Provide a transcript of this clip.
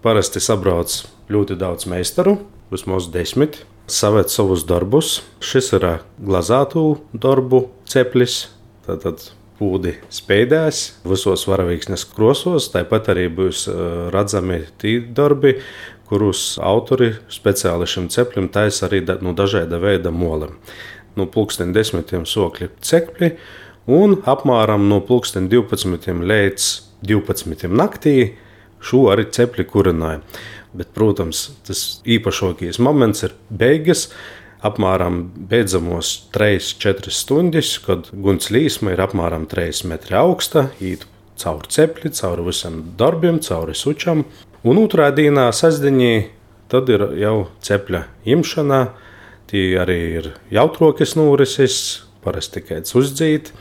parasti sabrauc ļoti daudz meistaru, vismaz 10. Saved savus darbus. Šis ir glazātu darbu ceplis, tātad pūdi spēdēs visos varavīksnes krosos. Tāpat arī būs redzami tie darbi, kurus autori speciāli šim ceplim taisa arī no dažāda veida moliem. No 10:00 sokļi cepļi un apmēram no 12:00 līdz 12:00 naktī šo arī cepļi kurināja. Bet, protams, tas īpašākais moments ir beigas. Apmēram beidzamos 3-4 stundas, kad guns līsma ir apmēram 3 metri augsta, īt cauri cepli, cauri visam darbiem, cauri sučam. Un otrā dienā, sestdienā, tad ir jau cepļa imšana. Tie arī ir jautrokas norises, parasti tikai uzdzīt.